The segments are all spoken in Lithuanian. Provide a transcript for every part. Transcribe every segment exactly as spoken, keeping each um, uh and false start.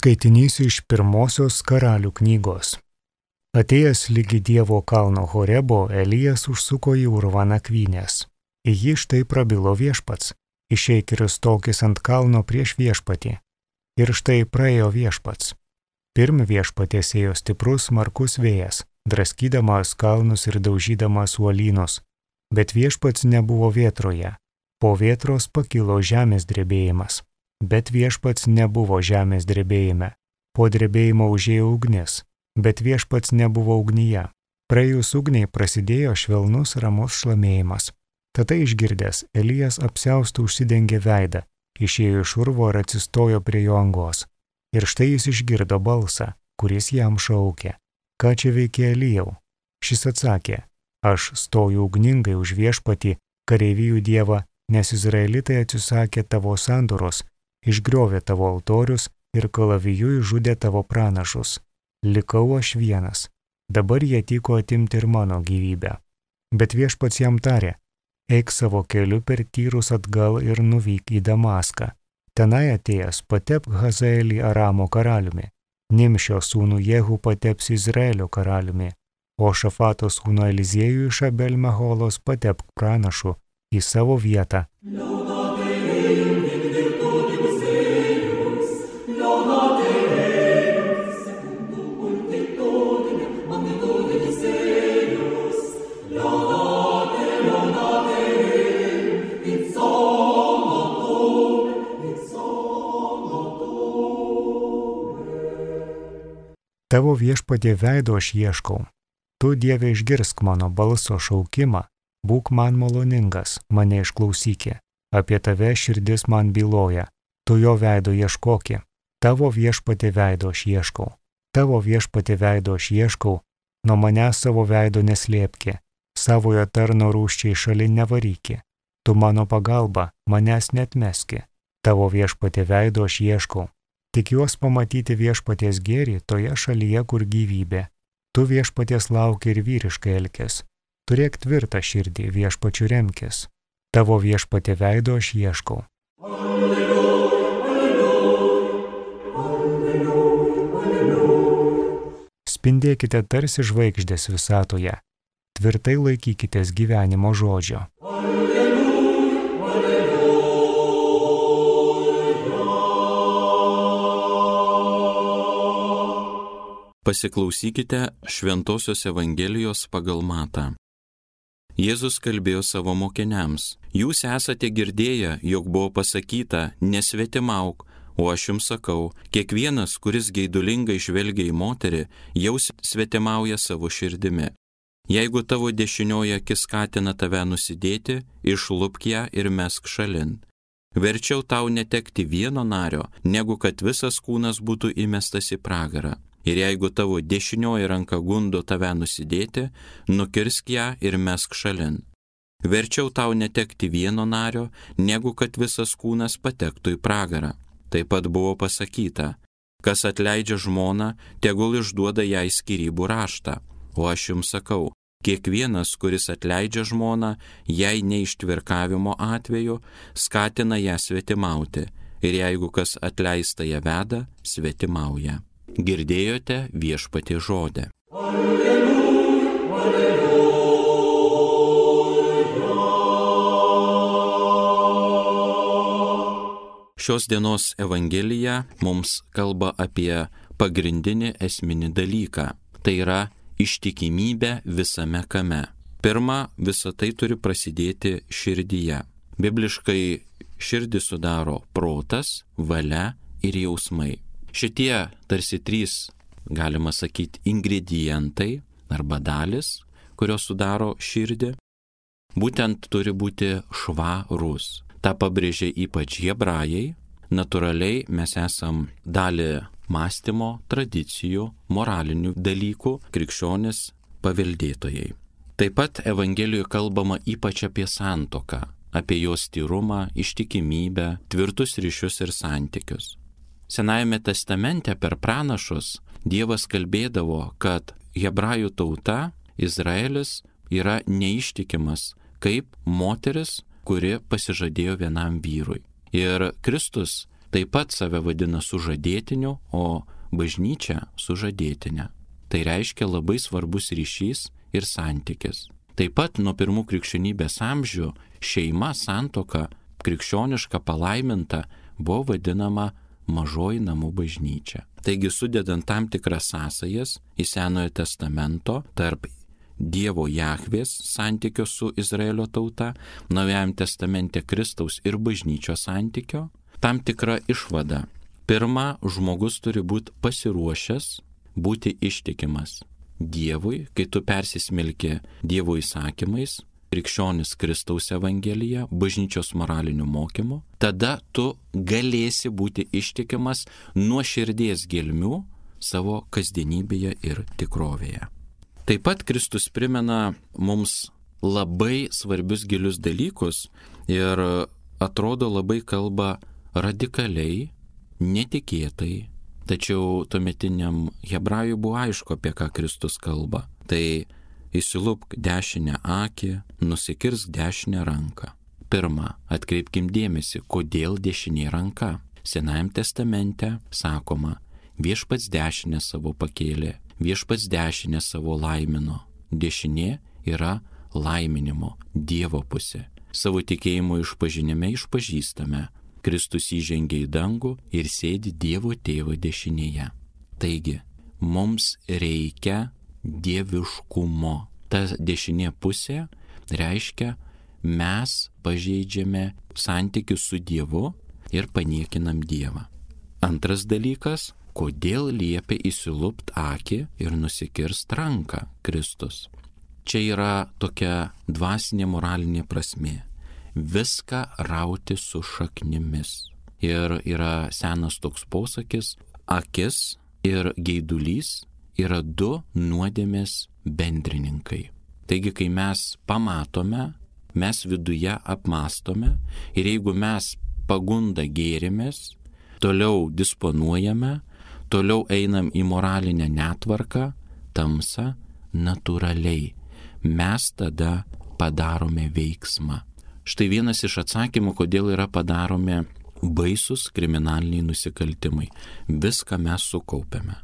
Skaitinys iš pirmosios Karalių knygos. Atėjęs lygi Dievo kalno Horebo, Elijas užsuko į urvą nakvynės. Į jį štai prabilo viešpats, išeik ir stokis ant kalno prieš viešpatį. Ir štai praėjo viešpats. Pirm viešpatės ėjo stiprus smarkus vėjas, draskydamas kalnus ir daužydamas uolynus, bet viešpats nebuvo vėtroje. Po vėtros pakilo žemės drebėjimas. Bet viešpats nebuvo žemės drebėjime. Po drebėjimo užėjo ugnis, bet viešpats nebuvo ugnyje. Praėjus ugniai prasidėjo švelnus ramus šlamėjimas. Tada išgirdęs, Elijas apsiaustų užsidengė veidą, išėjo iš urvo ir atsistojo prie jo angos. Ir štai jis išgirdo balsą, kuris jam šaukė: ką čia veikia Elijau? Šis atsakė: aš stoju ugningai už viešpatį, kareivijų dievą, nes izraelitai atsisakė tavo sandoros, išgriovė tavo altorius ir kalaviju išžudė tavo pranašus. Likau aš vienas. Dabar jie tiko atimti ir mano gyvybę. Bet viešpats jam tarė: eik savo keliu per tyrus atgal ir nuvyk į Damaską. Tenai atėjęs patepk Hazaelį Aramo karaliumi. Nimšio sūnų Jehu pateps Izraelio karaliumi, o Šafato sūnų Eliziejų iš Abel Meholos patepk pranašu į savo vietą. Tavo viešpatie veido aš ieškau. Tu, Dieve, išgirsk mano balso šaukimą, būk man maloningas, mane išklausyki. Apie tave širdis man byloja, tu jo veido ieškoki. Tavo viešpatie veido aš ieškau. Tavo viešpatie veido aš ieškau, nuo manęs savo veido neslėpki, savojo tarno rūsčiai šalin nevaryki. Tu mano pagalba, manęs netmeski. Tavo viešpatie veido aš ieškau. Tik juos pamatyti viešpaties gėrį toje šalyje, kur gyvybė. Tu viešpaties lauki ir vyriškai elkis. Turėk tvirtą širdį, viešpačiu remkis. Tavo viešpatie veido aš ieškau. Alleluja, alleluja, alleluja. Spindėkite tarsi žvaigždės visatoje. Tvirtai laikykitės gyvenimo žodžio. Alleluja, alleluja. Pasiklausykite Šventosios Evangelijos pagal Matą. Jėzus kalbėjo savo mokiniams: jūs esate girdėję, jog buvo pasakyta, nesvetimauk, o aš jums sakau, kiekvienas, kuris geidulingai žvelgia į moterį, jau svetimauja savo širdimi. Jeigu tavo dešinioji akis skatina tave nusidėti, išlupk ją ir mesk šalin. Verčiau tau netekti vieno nario, negu kad visas kūnas būtų įmestas į pragarą. Ir jeigu tavo dešinioji ranka gundo tave nusidėti, nukirsk ją ir mesk šalin. Verčiau tau netekti vieno nario, negu kad visas kūnas patektų į pragarą. Taip pat buvo pasakyta: kas atleidžia žmoną, tegul išduoda jai skyrybų raštą. O aš jums sakau, kiekvienas, kuris atleidžia žmoną, jai neištvirkavimo atveju, skatina ją svetimauti. Ir jeigu kas atleista ją veda, svetimauja. Girdėjote viešpatie žodę. Alleluja, alleluja. Šios dienos Evangelija mums kalba apie pagrindinį esminį dalyką. Tai yra ištikimybė visame kame. Pirma, visa tai turi prasidėti širdyje. Bibliškai širdį sudaro protas, valia ir jausmai. Šitie tarsi trys, galima sakyti, ingredientai arba dalis, kurios sudaro širdį, būtent turi būti švarus. Ta pabrėžia ypač hebrajai. Natūraliai mes esam dalį mąstymo, tradicijų, moralinių dalykų, krikščionis paveldėtojai. Taip pat Evangelijoje kalbama ypač apie santuoką, apie jos tyrumą, ištikimybę, tvirtus ryšius ir santykius. Senajame testamente per pranašus Dievas kalbėdavo, kad hebrajų tauta, Izraelis, yra neištikimas kaip moteris, kuri pasižadėjo vienam vyrui. Ir Kristus taip pat save vadina sužadėtiniu, o bažnyčia sužadėtinė. Tai reiškia labai svarbus ryšys ir santykis. Taip pat nuo pirmų krikščionybės amžių šeima, santuoka, krikščioniška palaiminta buvo vadinama mažoji namų bažnyčia. Taigi sudedant tam tikras sąsajas į Senojo testamento tarp Dievo Jahvės santykio su Izraelio tauta, Naujajam testamente Kristaus ir bažnyčios santykio, tam tikra išvada. Pirma, žmogus turi būti pasiruošęs, būti ištikimas Dievui, kai tu persismelki Dievo įsakymais, krikščionis Kristaus Evangelija, bažnyčios moraliniu mokymu, tada tu galėsi būti ištikimas nuo širdies gelmių savo kasdienybėje ir tikrovėje. Taip pat Kristus primena mums labai svarbius gilius dalykus ir atrodo labai kalba radikaliai, netikėtai, tačiau tuometiniam hebrajui buvo aišku, apie ką Kristus kalba. Tai įsilupk dešinę akį, nusikirsk dešinę ranką. Pirma, atkreipkim dėmesį, kodėl dešinė ranka. Senajam testamente sakoma, viešpats dešinę savo pakėlė, viešpats dešinę savo laimino. Dešinė yra laiminimo, Dievo pusė. Savo tikėjimo išpažinime išpažįstame. Kristus įžengė į dangų ir sėdi Dievo Tėvo dešinėje. Taigi, mums reikia dieviškumo. Ta dešinė pusė reiškia, mes pažeidžiame santykius su Dievu ir paniekinam Dievą. Antras dalykas, kodėl liepia įsilupt akį ir nusikirst ranką Kristus. Čia yra tokia dvasinė moralinė prasmė. Viską rauti su šaknimis. Ir yra senas toks posakis, akis ir geidulys yra du nuodėmės bendrininkai. Taigi, kai mes pamatome, mes viduje apmastome ir jeigu mes pagundą gėrimės, toliau disponuojame, toliau einam į moralinę netvarką, tamsą, natūraliai. Mes tada padarome veiksmą. Štai vienas iš atsakymų, kodėl yra padaromi baisus kriminaliniai nusikaltimai. Viską mes sukaupiame.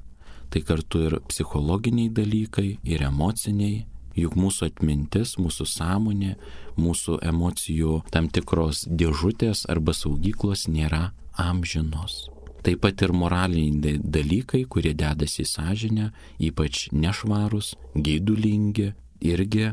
Tai kartu ir psichologiniai dalykai, ir emociniai, juk mūsų atmintis, mūsų sąmonė, mūsų emocijų tam tikros dėžutės arba saugyklos nėra amžinos. Taip pat ir moraliniai dalykai, kurie dedasi į sąžinę, ypač nešvarūs, geidulingi, irgi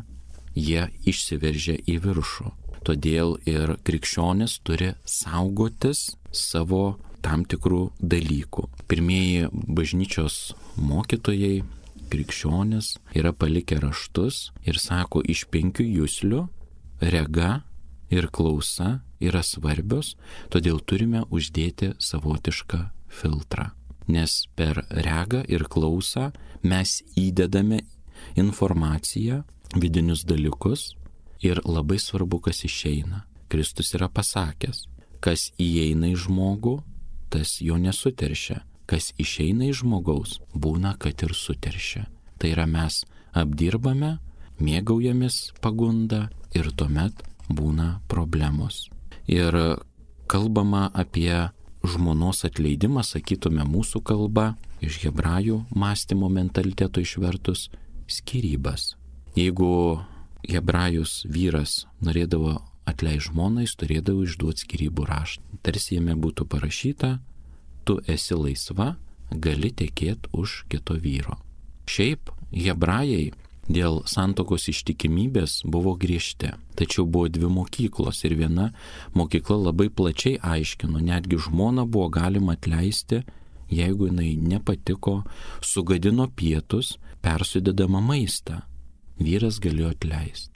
jie išsiveržia į viršų. Todėl ir krikščionis turi saugotis savo tam tikrų dalykų. Pirmieji bažnyčios mokytojai, krikščionis, yra palikę raštus ir sako, iš penkių juslių rega ir klausa yra svarbios, todėl turime uždėti savotišką filtrą. Nes per regą ir klausą mes įdedame informaciją, vidinius dalykus ir labai svarbu, kas išeina. Kristus yra pasakęs, kas įeina į žmogų, tas jo nesuteršia. Kas išeina iš žmogaus, būna, kad ir suteršia. Tai yra mes apdirbame, mėgaujamės pagundą ir tuomet būna problemos. Ir kalbama apie žmonos atleidimą, sakytume mūsų kalba, iš hebrajų mąstymo mentaliteto išvertus, skyrybas. Jeigu hebrajus vyras norėdavo atleisti žmoną, jis turėdavo išduoti skyrybų raštą. Tarsi jame būtų parašyta, tu esi laisva, gali tekėti už kito vyro. Šiaip hebrajai dėl santuokos ištikimybės buvo griežti, tačiau buvo dvi mokyklos ir viena mokykla labai plačiai aiškino, netgi žmoną buvo galima atleisti, jeigu jinai nepatiko, sugadino pietus, persudedama maistą. Vyras galėjo atleisti.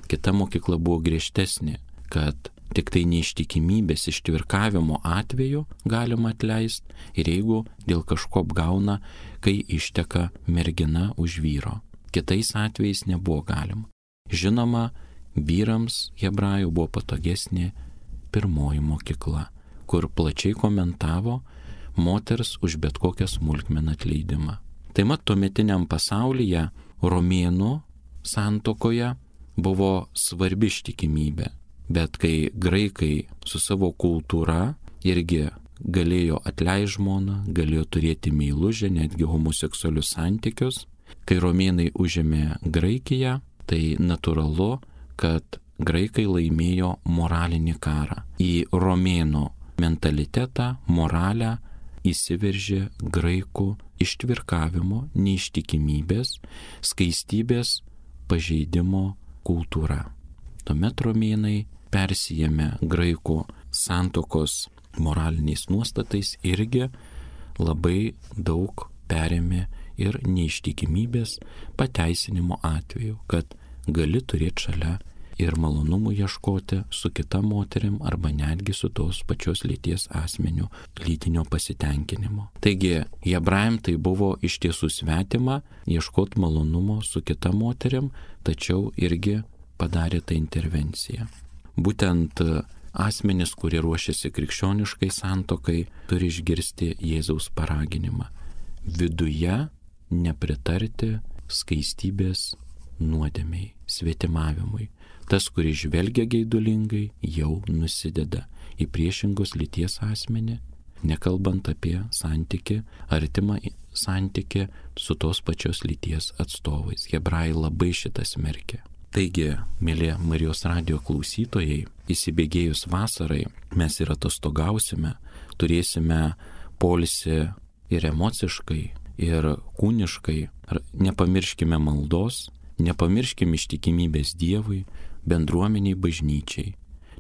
Kita mokykla buvo griežtesnė, kad tik tai neištikimybės ištvirkavimo atveju galima atleisti ir jeigu dėl kažko apgauna, kai išteka mergina už vyro. Kitais atvejais nebuvo galima. Žinoma, vyrams hebrajų buvo patogesnė pirmoji mokykla, kur plačiai komentavo moters už bet kokią smulkmeną atleidimą. Tai mat tuometiniam pasaulyje romėnų santuokoje buvo svarbi ištikimybė. Bet kai graikai su savo kultūra irgi galėjo atleisti žmoną, galėjo turėti meilužę, netgi homoseksualius santykius. Kai romėnai užėmė Graikiją, tai natūralu, kad graikai laimėjo moralinį karą. Į romėnų mentalitetą, moralę įsiveržė graikų ištvirkavimo, neištikimybės, skaistybės pažeidimo kultūra. Tuomet romėnai persijėmė graikų santokos moraliniais nuostatais irgi labai daug perėmė ir neištikimybės pateisinimo atveju, kad gali turėti šalia ir malonumų ieškoti su kita moterim arba netgi su tos pačios lyties asmeniu lytinio pasitenkinimo. Taigi, hebrajam tai buvo iš tiesų svetima ieškoti malonumo su kita moterim, tačiau irgi padarė tą intervenciją. Būtent asmenys, kurie ruošiasi krikščioniškai santokai, turi išgirsti Jėzaus paraginimą. Viduje nepritarti skaistybės nuodėmiai, svetimavimui. Tas, kuris žvelgia geidulingai, jau nusideda į priešingos lyties asmenį, nekalbant apie santykį, artimą santykį su tos pačios lyties atstovais. Hebrajai labai šitą smerkia. Taigi, mėly Marijos radijo klausytojai, įsibėgėjus vasarai mes ir atostogausime, turėsime poilsį ir emociškai, ir kūniškai. Nepamirškime maldos, nepamirškime ištikimybės Dievui, bendruomeniai, bažnyčiai.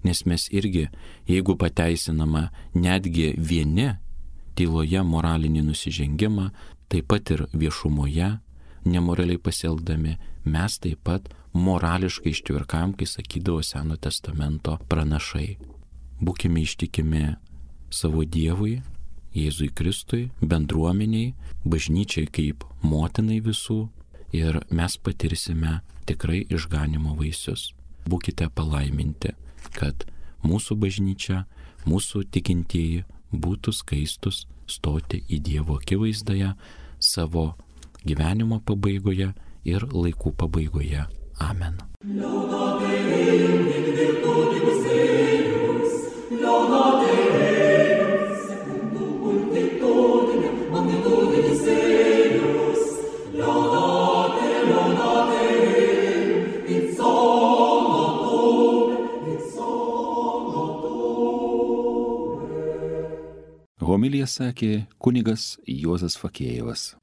Nes mes irgi, jeigu pateisinama netgi vieni tyloje moralinį nusižengimą, taip pat ir viešumoje, nemoraliai pasielgdami, mes taip pat morališkai ištvirkam, kai sakydavo Seno testamento pranašai. Būkime ištikimi savo Dievui, Jėzui Kristui, bendruomeniai, bažnyčiai kaip motinai visų ir mes patirsime tikrai išganimo vaisius. Būkite palaiminti, kad mūsų bažnyčia, mūsų tikintieji būtų skaistus stoti į Dievo akivaizdoje savo gyvenimo pabaigoje ir laikų pabaigoje. Amen. Homiliją sakė kunigas Juozas Fakėjevas.